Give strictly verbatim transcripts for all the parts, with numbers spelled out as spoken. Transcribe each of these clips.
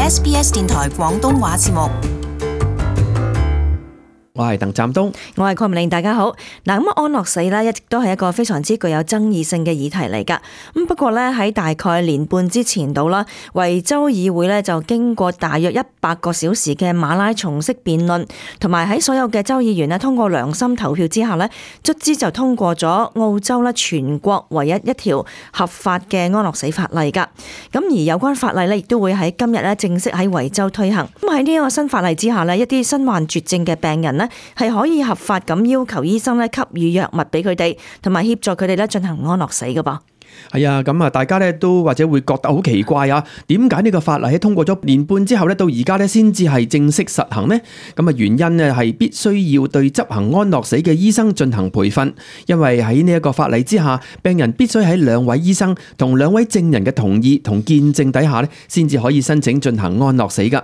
S B S 電台廣東話節目。我係鄧湛東，我係鄺明玲，大家好。嗱，咁安樂死咧一直都係一個非常之具有爭議性嘅議題嚟噶。咁不過咧喺大概年半之前度啦，維州議會咧就經過大約一百個小時嘅馬拉松式辯論，同埋喺所有嘅州議員咧通過良心投票之下咧，卒之就通過咗澳洲咧全國唯一一條合法嘅安樂死法例噶。咁而有關法例咧亦都會喺今日咧正式喺維州推行。咁喺呢一個新法例之下咧，一啲身患絕症嘅病人咧係可以合法咁要求醫生咧給予藥物俾佢哋，同埋協助佢哋咧進行安樂死㗎噃。係啊，咁啊，大家咧都或者會覺得好奇怪啊，點解呢個法例喺通過咗年半之後咧，到而家咧先至係正式實行呢？咁啊，原因呢係必須要對執行安樂死嘅醫生進行培訓，因為喺呢一個法例之下，病人必須喺兩位醫生同兩位證人嘅同意同見證底下咧，先至可以申請進行安樂死噶。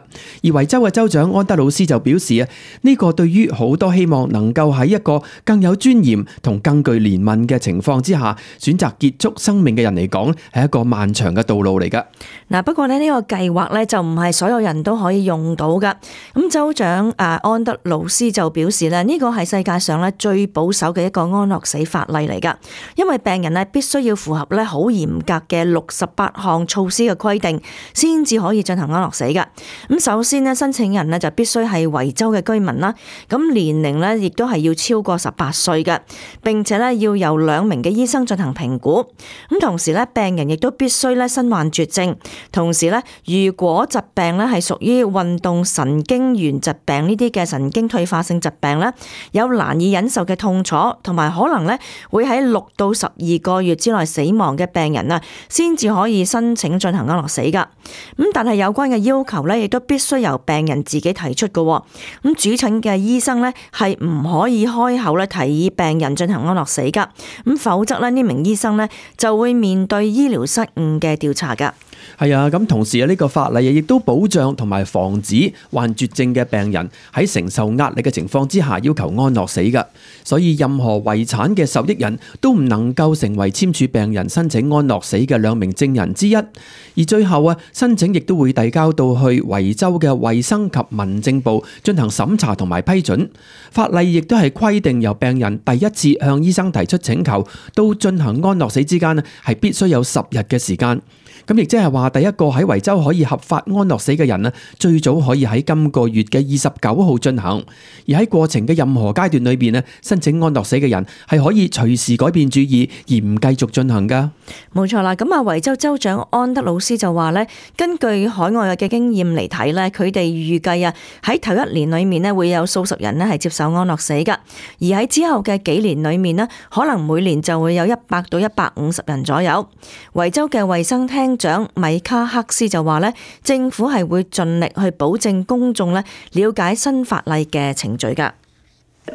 而維州嘅州長安德魯斯就表示啊，呢個對於好多希望能夠喺一個更有尊嚴同更具憐憫嘅情況之下選擇結束生命嘅人嚟講，係一個漫長嘅道路嚟噶。嗱，不過咧呢個計劃咧就唔係所有人都可以用到噶。咁州長誒安德魯斯就表示咧，呢個係世界上咧最保守嘅一個安樂死法例嚟噶，因為病人咧必須要符合咧好嚴格嘅六十八項措施嘅規定，先至可以進行安樂死噶。咁首先咧，申請人咧就必須係維州嘅居民啦，咁年齡咧亦都係要超過十八歲嘅，並且咧要由兩名嘅醫生進行評估。咁同時咧，病人亦都必須咧身患絕症，同時咧，如果疾病咧係屬於運動神經元疾病呢啲嘅神經退化性疾病咧，有難以忍受嘅痛楚，同埋可能咧會喺六到十二個月之內死亡嘅病人啊，先至可以申請進行安樂死噶。咁但係有關嘅要求咧，亦都必須由病人自己提出嘅。咁主診嘅醫生咧係唔可以開口咧提議病人進行安樂死噶。咁否則咧呢名醫生咧就會面對醫療失誤嘅調查噶。係啊，咁同時啊，呢個法例亦都保障同埋防止患絕症嘅病人喺承受壓力嘅情況之下要求安樂死噶。所以任何遺產嘅受益人都唔能夠成為簽署病人申請安樂死嘅兩名證人之一。而最後啊，申請亦都會遞交到去維州嘅衛生及民政部進行審查同埋批准。法例亦都係規定由病人第一次向醫生提出請求到進行安樂死之間啊，係必須有十日嘅時間。咁亦即係話，第一個喺維州可以合法安樂死嘅人啊，最早可以喺今個月嘅二十九號進行。而喺過程嘅任何階段裏邊咧，申請安樂死嘅人係可以隨時改變主意而唔繼續進行噶。冇錯啦，咁啊，維州州長安德魯斯就話咧，根據海外嘅經驗嚟睇咧，佢哋預計啊喺頭一年裏面咧會有數十人咧係接受安樂死噶，而喺之後嘅幾年裏面咧，可能每年就會有一百到一百五十人左右。維州嘅衛生廳長米卡克斯就話咧，政府係會盡力去保證公眾咧了解新法例嘅程序噶。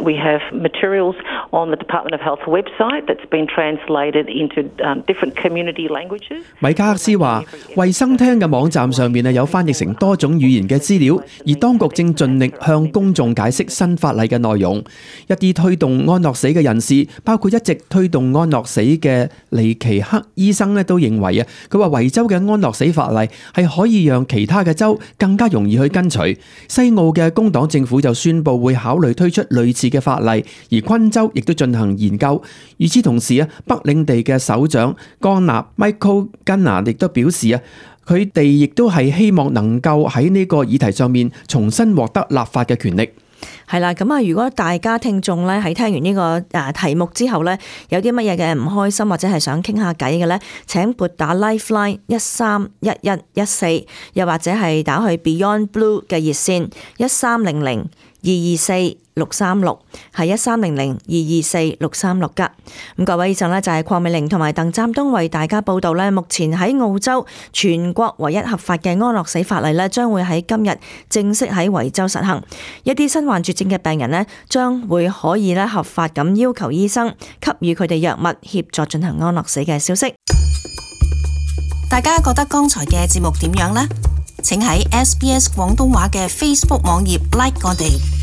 We have materials on the Department of Health website that's been translated into um, different community languages. 米卡克斯話，衛生廳嘅網站上面有翻譯成多種語言嘅資料，而當局正盡力向公眾解釋新法例嘅內容。一啲推動安樂死嘅人士，包括一直推動安樂死嘅尼奇克醫生咧，都認為啊，佢話維州嘅安樂死法例係可以讓其他嘅州更加容易去跟隨。西澳嘅工黨政府就宣布會考慮推出類似嘅法例，而昆州亦都進行研究。與此同時啊，北領地嘅首長江納 Michael Gunner 亦都表示啊，佢哋亦都係希望能夠喺呢個議題上面重新獲得立法嘅權力。係啦，咁啊，如果大家聽眾咧喺聽完呢個誒題目之後咧，有啲乜嘢嘅唔開心或者係想傾下偈嘅咧，請撥打 Lifeline 一三一一一四，又或者係打去 Beyond Blue 嘅熱線一三零零二二四六三六，係一三零零二二四六三六噶。咁各位以上咧就係鄺美玲同埋鄧湛東為大家報道咧，目前喺澳洲全國唯一合法嘅安樂死法例咧，將會喺今日正式喺維州實行。一啲身患絕症嘅病人咧，將會可以咧合法咁要求醫生給予佢哋藥物協助進行安樂死嘅消息。大家覺得剛才嘅節目點樣呢？請喺 S B S 廣東話嘅 Facebook 網頁 like 我哋。